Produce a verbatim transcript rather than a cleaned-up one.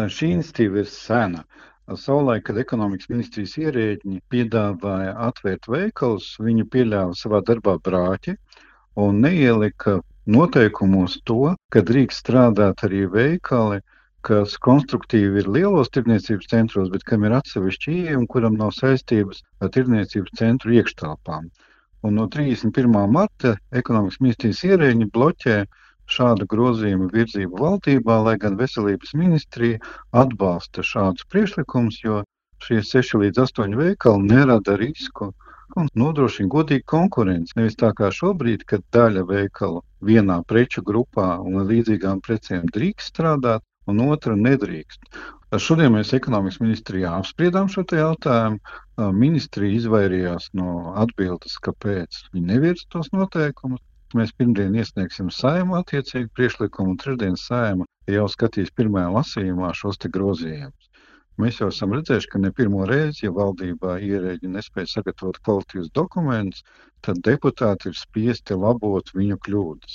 Šī iniciatīva ir sena. Savulaik, kad ekonomikas ministrijas ierēģi piedāvāja atvērt veikalus, viņi pieļāva savā darbā brāķi un neielika noteikumos to, ka drīkst strādāt arī veikali, kas konstruktīvi ir lielos tirdzniecības centros, bet kam ir atsevišķi ieeja un kuram nav saistības ar tirdzniecības centru iekštelpām. Un no trīsdesmit pirmā marta ekonomikas ministrijas ierēģi bloķē šādu grozījumu virzību valdībā, lai gan veselības ministrija atbalsta šādus priekšlikumus, jo šie seši līdz astoņi veikali nerada risku un nodrošina godīgu konkurenci. Nevis tā kā šobrīd, kad daļa veikalu vienā preču grupā un līdzīgām precēm drīkst strādāt, un otra nedrīkst. Šodien mēs ekonomikas ministrijā apspriedām šo jautājumu. Ministrija izvairījās no atbildes, kāpēc viņi nevirza tos noteikumus. Mēs pirmdien iesniegsim Saeimu attiecīgu priekšlikumu, un trešdien Saeima jau skatīs pirmajā lasījumā šos te grozījumus. Mēs jau esam redzējuši, ka ne pirmo reizi, ja valdībā ierēģi nespēja sagatavot kvalitīvus dokumentus, tad deputāti ir spiesti labot viņu kļūdas.